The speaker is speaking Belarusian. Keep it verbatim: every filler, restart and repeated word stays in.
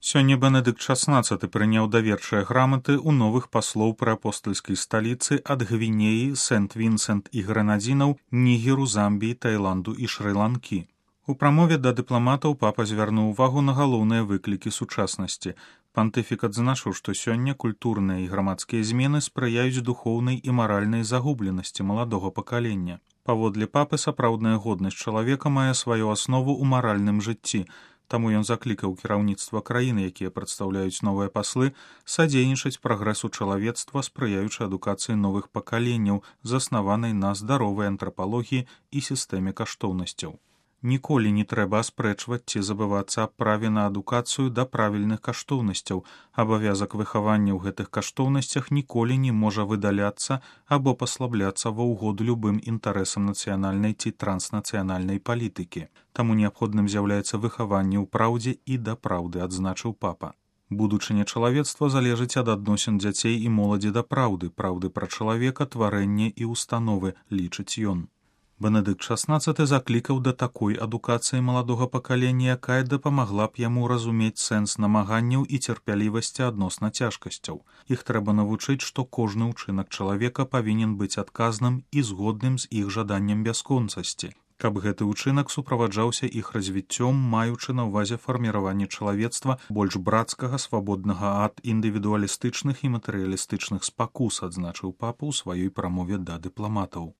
Сёння Бенедыкт шаснаццаты прыняў даверчыя граматы ў новых паслоў пры апостальскай сталіцы ад Гвінеі, Сент-Вінсент і Грэнадзінаў, Нігеру, Замбіі, Таіланду і Шры-Ланкі. У прамове да дыпламатаў папа звярнуў увагу на галоўныя выклікі сучаснасці. Пантыфік адзначыў, што сёння культурныя і грамадскія змены спрыяюць духоўнай і маральнай загубленасці маладога пакалення. Паводле папы сапраўдная годнасць чалавека мае сваю аснову ў маральным жыцці. Таму ён заклікаў кіраўніцтва краіны, якія прадстаўляюць новыя паслы, садзейнічаць прагрэсу чалавецтва, спрыяючы адукацыі новых пакаленняў, заснаванай на здаровай антрапалогіі і сістэме каштоўнасцяў. Ніколі не трэба аспрэчваць ці забывацца аб праве на адукацыю да правільных каштоўнасцяў. Абавязак выхавання ў гэтых каштоўнасцях ніколі не можа выдаляцца або паслабляцца ва ўгоду любым інтарэсам нацыянальнай ці транснацыянальнай палітыкі. Таму неабходным з'яўляецца выхаванне ў праўдзе і да праўды, адзначыў папа. Будучыня чалавецтва залежыць ад адносін дзяцей і моладзі да праўды, праўды пра чалавека, тварэнне і установы, лічыць ён. Бенедыкт шаснаццаты заклікаў да такой адукацыі маладога пакалення, якая дапамагла б яму разумець сэнс намаганняў і цярпялівасці адносна цяжкасцяў. Іх трэба навучыць, што кожны ўчынак чалавека павінен быць адказным і згодным з іх жаданнем бясконцасці. Каб гэты ўчынак суправаджаўся іх развіццём, маючы на ўвазе фарміраванне чалавецтва больш брацкага, свабоднага ад індывідуалістычных і матэрыялістычных спакус, адзначыў папа ў сваёй прамове да дыпламатаў.